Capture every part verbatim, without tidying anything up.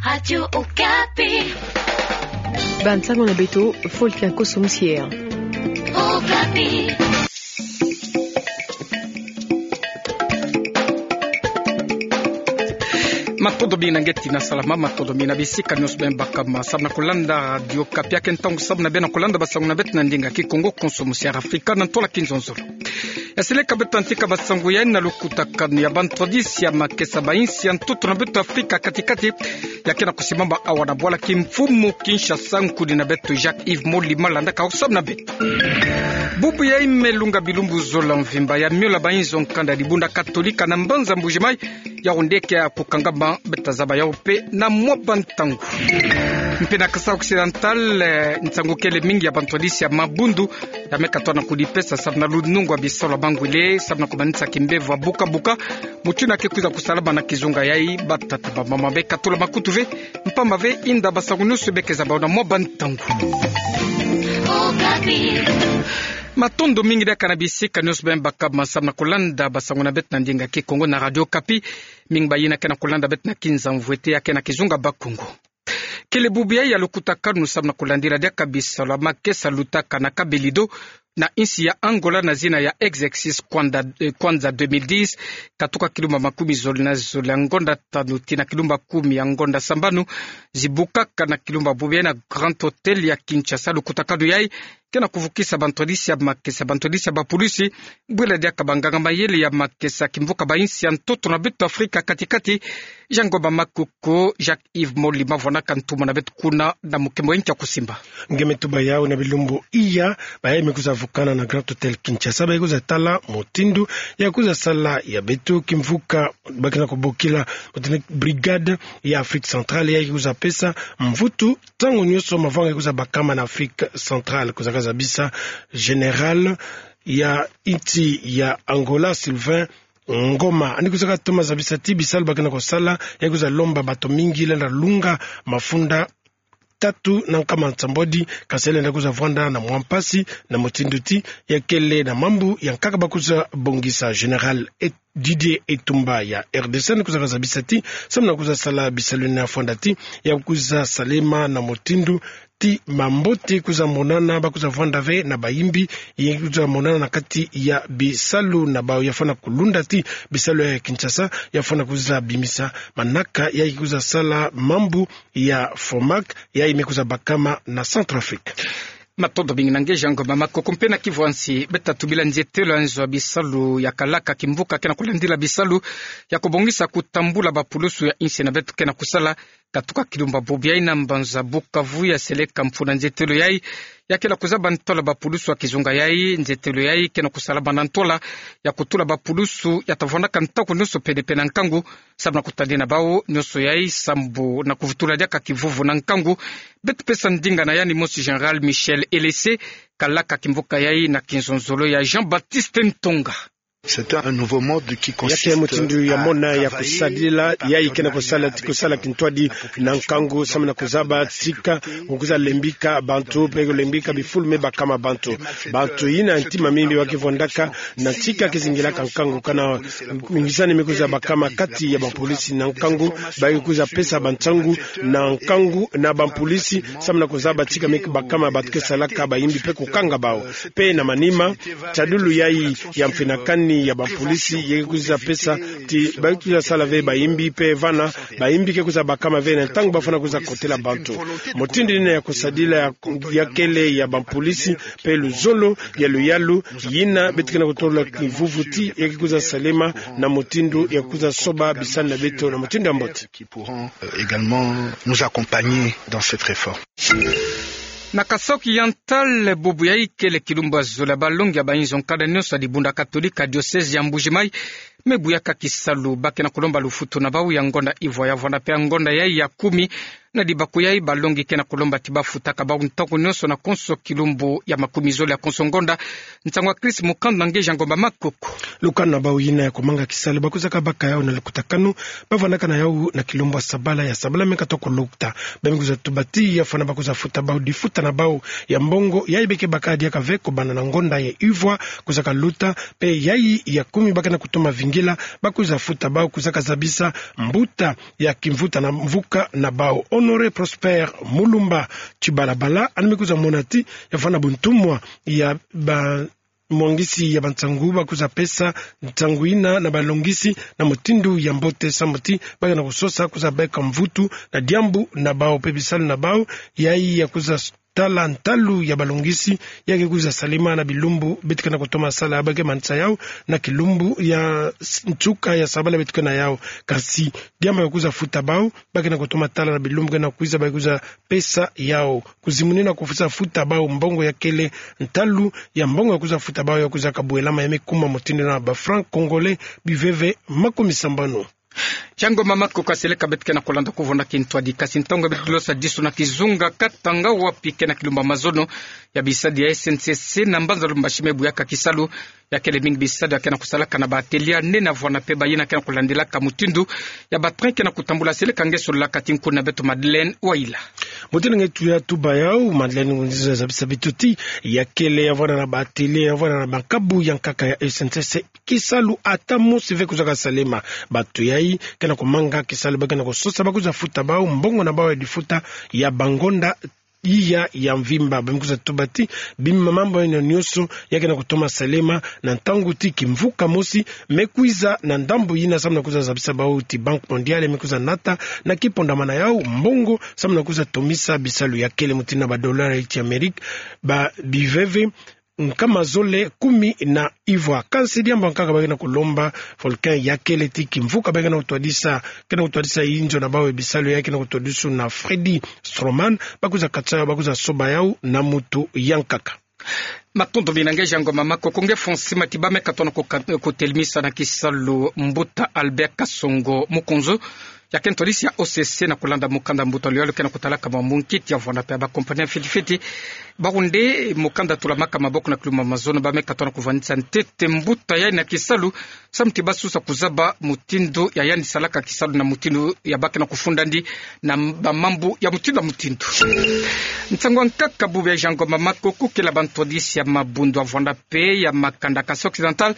Radio Okapi. Bansango na beto, Voltaire Kosso Mosier. Okapi. Matondo mingi na nge tina salama, matondo mingi na bisika nionso bem bakama samu na kulanda Radio Okapi. Yake ntangu samu na bem na kulanda bansango na beto na ndinga Kikongo, Kosso Mosier Afrika na ntwala kinzonzolo. Yaseleka beto tantika bansango yai na lukutakanu ya bantwadisi ya makesa ba insi ya ntoto na beto Afrika kati-kati. Yake na kusimbama awa na bwala kimfumu Kinshasa, nkuni na beto Jacques Yves Molima, landaka samu na beto. Bubu yai me lunga bilumbu zola mvimba ya miola ba inzo nkanda dibunda Katolika na mbanza Mbuji-Mayi, yau nde ke ya kukangama, beta zaba yau mpe na mwa bantangu. Mpe na Kasai Occidental, eh, nsangu kele mingi ya bantwadisi ya mabundu ya me katwa na kudipesa samu na lunungu ya bisalu ya mangwele, samu na kumanisa kimbevo ya buka-buka, mutindu ya ke kwiza kusalama na kizunga yai. Batata, bamama, bekatula makutu ve, mpamba ve inda bansango nionso be ke zaba na mwa bantangu. Matondo mingi diaka na bisika nionso bem bakama samu na kulanda bansango na beto na ndinga Kikongo na Radio Okapi. Mingi ba yina ke na kulanda beto na kinza mvwete yake na kizunga Bakongo. Kele bubu yai ya lukutakanu samu na kulandila diaka bisalu ya makesa lutaka na Cabo Delgado, na insi ya Angola na zina ya Exercice Kwanza, eh, Kwanza deux mille dix, katuka kilumba makumi zole na zole ya ngonda tanu tii na kilumba kumi ya ngonda sambanu, zibukaka na kilumba bubu yai na Grand Hôtel ya Kinshasa. Lukutakanu yai ke na kuvukisa bantwadisi ya makesa, bantwadisi ya bapulusi, bwela diaka banganga mayele ya makesa kimvuka ba insi ya ntoto na beto Afrika kati-kati. Jean Ngoma Makoko, Jacques Yves Molima vwanaka ntumwa na beto kuna na mukembo ya nki ya kusimba. Nge me tuba yau na bilumbu iya, bayai me kwiza vukana na Grand Hôtel Kinshasa, bayai kwiza tala mutindu ya kwiza sala ya beto kimvuka ba ke na kubokila mutindu Brigade ya Afrique Centrale, yai kwiza pesa mvutu ntangu nionso mavanga kwiza bakama na Afrique Centrale. Kwiza kazabisa Général ya insi ya Angola, Sylvain Ngoma. Yandi kwiza katoma zabisa ti bisalu ba ke na kusala, yai kwiza lomba bato mingi lenda lunga mafunda tatu na nkama nsambwadi, kansi lenda kwiza vwanda na mwa mpasi, na mutindu ti ya kele na mambu ya nkaka ba kwiza bongisa. Général Et-, Didier Etumba ya R D C yandi kwiza kazabisa ti samu na kwiza sala bisalu yina ya fwanda ti ya kwiza salema na mutindu ti mambote kwiza monana, ba kwiza vwanda ve na bayimbi, yai kwiza monana na kati ya bisalu na bau, ya fwana kulunda ti bisalu ya Kinshasa ya fwana kwiza bimisa manaka yai kwiza sala mambu ya Fomac, yai me kwiza bakama na Centrafrique. Matondo mingi na nge Jean Ngoma Makoko. Mpe na Kivu ya nsi, beta tubila nzietelo ya nzo ya bisalu ya Kalaka, kimvuka ke na kulandila bisalu ya kubongisa kutambula bapulusu ya insi na beto ke na kusala, katuka kilumba bubu yai na mbanza Bukavu. Yaseleka mfunu ya nzietelo yai, ya ke na kuzaba ntwala bapulusu ya kizunga yai. Nzietelo yai ke na kusalama na ntwala ya kutula bapulusu ya ta vwandaka ntangu nionso pene-pene na nkangu, samu na kutadila na bau nionso yai sambu na kuvutula diaka kivuvu na nkangu. Beto pesa ndinga na yandi mosi, Général Michel Elese, Kalaka, kimvuka yai na kinzonzolo ya Jean-Baptiste Ntonga. C'est un nouveau mode qui consiste... Ya ke mutindu ya mona ya kusadila, yai ke na kusala ti kusala kintwadi na nkangu, samu na kuzaba tika kwiza lembika bantu, mpe kulembika bifulu me bakama bantu. Bantu yina ntima mbi ba ke vwandaka na tika kizingilaka nkangu, kana mingisani me kwiza bakama kati ya bapulisi na nkangu, ba ke kwiza pesa bansangu na nkangu na bapulisi, samu na kuzaba tika me bakama bato ke salaka bayimbi mpe kukanga bau. Mpe na manima, tadulu yai ya mfinakani ya bapulisi, ya ke kwiza pesa ti ba ke kwiza sala ve bayimbi, mpe vana bayimbi ke kwiza bakama ve na ntangu ba fwana kwiza kotela bantu. Mutindu yina ya kusadila ya, ya kele ya bapulisi, mpe luzolo ya luyalu yina beto ke na kutolola kivuvu ti ya ke kwiza salema na mutindu ya kwiza soba bisalu na beto na mutindu ya mbote. Qui pourront, euh, également nous accompagner dans cette réforme. Na Kasaï Oriental, bubu yai kele kilumbu ya zola ya balongi ya bainzo nkanda nionso ya dibunda Katolika diocèse ya Mbuji-Mayi me buyaka kisalu. Ba ke na kulomba lufutu na bau ya ngonda ivwa ya vwanda mpe ya ngonda yai ya kumi na dibako yai, balongi ke na kolomba ti bafutaka bau ntangu nyonso na konso kilumbu ya makumizole ya konso ngonda. Nsangu ya Chris Mukanda, ngeja Ngomba Makoko. Lukanu na bau yina ya komanga kisalu, bakwizaka baka yau na lukutakanu, bavwandaka na yau na kilumbu ya sabala, ya sabala me katokolokta. Bamikuza tuba ti ya fwana bakuza futa bau difuta na bau ya mbongo, yai beke baka diaka ve kobanda na ngonda ya ivwa, kwizaka luta, mpe yai ya kumi bake na kutoma vingila, bakuza futa bau, kwizaka zabisa mbuta ya kimvuta na mvuka na bau. Honoré Prosper Mulumba Tshibalabala, yandi me kuza mona ti ya fwana buntumwa ya ba mwangisi ya bansangu bakuza pesa nsangu yina na balongisi na mutindu ya mbote, samu ti bake na kusosa kuza beka mvutu na diambu na bau mpe bisalu na bau, yai ya kuza tala ntalu ya balongisi, ya ke kuza salema na bilumbu beto ke na kutoma sala, bake manisa yau na kilumbu ya s-, nsuka ya sabala beto ke na yau. Kasi diambu ya kuza futa bau, bake na kutoma tala na bilumbu ke na kwiza, bake kuza pesa yau. Kuzimunina kufusa futa bau mbongo ya kele, ntalu ya mbongo ya kuza futa bau ya kuza kabwelama ya me kuma mutindu na ba francs congolais biveve makumisambanu. Ngomba Makoko, seleka beto ke na kolanda kuvona kintwadi, kasi ntangu beto losa disu na kizunga Katanga, wapi ke na kilumbu ya mazono ya bisadi ya S N C C na mbanza Lubumbashi me buyaka kisalu. Ya kele mingi bisadi ya ke na kusalaka na ba atelier nene, vwanda mpe bayina ke na kolandilaka mutindu ya ba train ke na kutambula. Seleka nge sololaka ti nkuna beto Madeleine Waila. Mutindu nge tuya tuba yau, Madeleine, ngunziza zabisa beto ti ya kele ya vwanda na ba atelier, ya vwanda na ba nkabu ya nkaka ya S N C C, kisalu ata mosi ve kwizaka salema. Bato yai ke na komanga kisalu, bake na kusosa bakuza futa bau mbongo na bau ya difuta ya bangonda iya ya mvimba. Bamikuza tuba ti bima mambu yina nyonso ya ke na kutoma salema na ntangu ti kimvuka mosi me kwiza na ndambu yina, samu na kuza zabisa bau ti Banque Mondiale me kuza nata na kipondamana yau mbongo, samu na kuza tomisa bisalu ya kele mutindu na ba dollars ya Amerika ba biveve nkama zole kumi na ivwa. Kansi diambu ya nkaka bake na kolomba volcan ya kele ti kimvuka bake na kutwadisa, ke na kutwadisa inzo na bau ya bisalu ya ke na kutwadisu na Freddy Stroman, bakuza katisa yau, bakuza soba yau na mutu ya nkaka. Matondo mingi nge Ngomba Makoko. Nge Fonsi Matiba, me katona ko kat-, kotelemisa na kisalu mbuta Albert Kasongo Mukonzo, ya ke ntwadisi ya O C C, na kolanda mukanda mbuta luyalu ke na kutalaka mambu nkiti ya vwanda mpe ya ba compagnie fiti fiti. Bau nde mukanda tulamaka maboko na kilumbu ya mazono, ba me katona kuvandisa ntete mbuta yai na kisalu, samu ti basusa kuzaba mutindu ya yandi salaka kisalu na mutindu ya bake na kufundandi na m-, ba mambu ya mutindu na mutindu. Nsangu ya nkaka bubu ya Ngomba Makoko, kele ba ntwadisi ya mabundu ya vwanda mpe ya makanda Kasai Occidental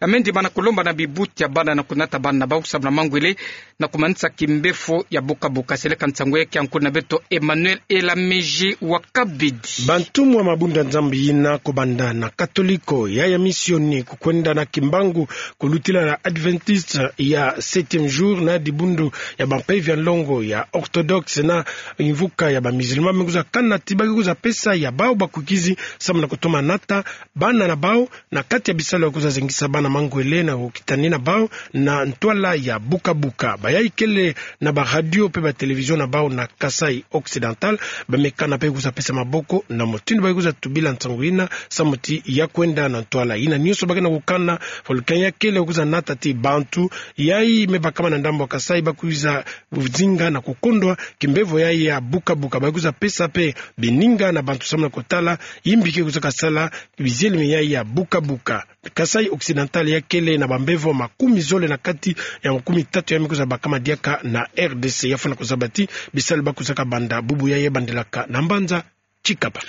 ya me ndimana kolomba na bibuti ya bana na kunata bana na bau samu na mangwele na kumanisa kimbefo ya bukabuka. Seleka nsangu ya ke ya nkuna beto Emmanuel Elamiji wa Kabidi. Bantumwa mabundu ya Nzambi yina, kobanda na Katoliko, ya ya misioni, kukwenda na Kimbangu, kulutila na Adventiste ya Septième Jour, na dibundu ya ba mpeve ya nlongo ya Orthodoxe, na mvuka ya ba Musulman, me kuza kana ti bake kuza pesa ya bau bakwikizi samu na kutoma nata bana na bau na kati ya bisalu ya kuza zengisa bana mangwele na kukitani na bau na ntwala ya bukabuka. Bayai kele na ba radio mpe ba télévision na bau na Kasai Occidental, ba me kana mpe kuza pesa maboko na mutindu bake kuza tubila nsangu yina, samu ti ya kwenda na ntwala yina nyonso bake na kukana. Volcan ya kele kuza nata ti bantu yai me bakama na ndambu ya Kasai bakwiza zinga na kukondwa kimbevo yai ya bukabuka, bake kuza pesa mpe bininga na bantu samu na kutala yimbi ke kwizaka sala bizielemi yai ya bukabuka. Kasai Occidental ya kele na bambevo makumi zole na kati ya makumi tatu ya me kuza bakama diaka na R D C. Ya fwana kuzaba ti bisalu bakwizaka banda bubu yai bandilaka na mbanza Tshikapa.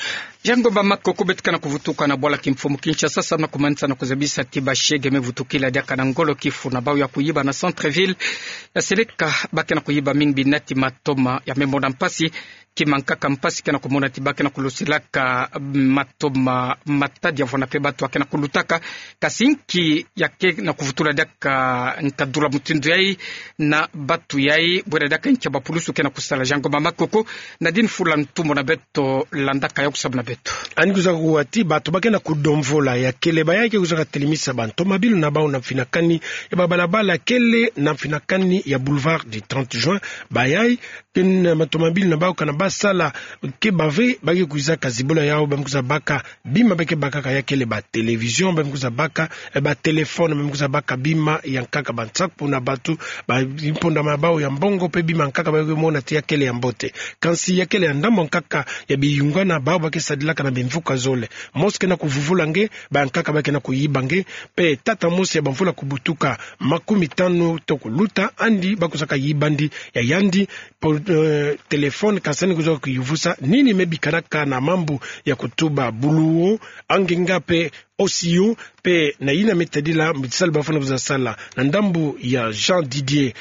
Ngomba Makoko, beto ke na kuvutuka na bwala kimfumu Kinshasa samu na kumanisa na kuzabisa ti bashege me vutukila diaka na ngolo kifu na bau ya kuyiba na centre-ville ya Seleka. Ba ke na kuyiba mingi binati matoma ya me mona mpasi. Kima nkaka mpasi ke na kumona ti ba ke na kulosilaka matoma matadi ya vwanda mpe bato ya ke na kulutaka. Kasi nki ya ke na kuvutula diaka nkadula mutindu yai na bato yai, bwela diaka nki ya bapulusu ke na kusala? Ngomba Makoko, Nadine Fula Ntumbo na beto la Andaka yo kusabu na beto. Ani kwiza kuwa ti bato ba ke na kudomvola ya kele bayai ke kwiza katelemisa bantomabilu na bau na mfinakani ya babalabala kele na mfinakani ya Boulevard du trente juin. Bayai ke na bantomabilu na bau kana basala ke bave, ba ke kwiza kazibola yau, ba me kwiza baka bima ba ke bakaka ya kele ba télévision, ba me kwiza baka, eh, ba téléphone, ba me kwiza baka bima ya nkaka, ba nsaku na bato, ba mpondama ya bau ya mbongo, pe bima nkaka ba ke mona ti ya kele ya mbote. Kansi ya kele ya ndambu nkaka ya biyungana bau ba ke sadilaka na bimvuka zole. Mosi ke na kuvuvula nge, ba nkaka ba ke na kuyiba nge, pe tata mosi ya bamvula kubutuka makumitanu to kuluta, andi ba kwizaka yiba ndi ya yandi po-, eh, téléphone, kansi ani kwiza kuyuvusa nini me bikanaka na mambu ya kutuba buluwo, angenga pe osiyo, pe na yina me tadila mbisalu bafwana kwiza sala. Na ndambu ya Jean Didier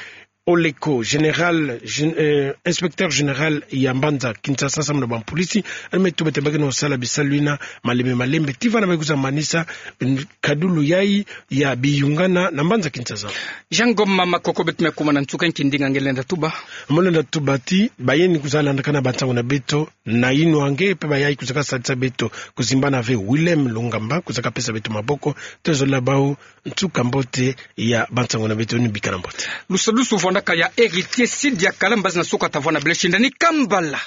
Oleko, général, gén-, eh, inspecteur général ya mbanza Kinshasa samu na bampolisi, ani me tuba ti ba ke na kusala bisalu yina malembe malembe, tii vana ba ke kwiza manisa, mm, kadulu yai ya biyungana na mbanza Kinshasa. Jean Ngoma Makoko, beto me kuma na nsuka, nki ndinga nge lenda tuba? Mo lenda tuba ti bayeni kwiza landakana bansangu na beto na yinwa nge, pe bayai kwizaka sadisa beto, kuzimbana ve Willem Lungamba, kwizaka pesa beto maboko, tozola bau nsuka mbote ya bansangu na beto, ni bikana mbote. Lusadusu vwandaka ya Héritier Sidia Kalamba, zina suka ta vwanda bele shinda ni kambala.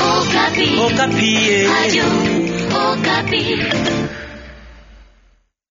Okapi. Okapi, eh. Radio Okapi.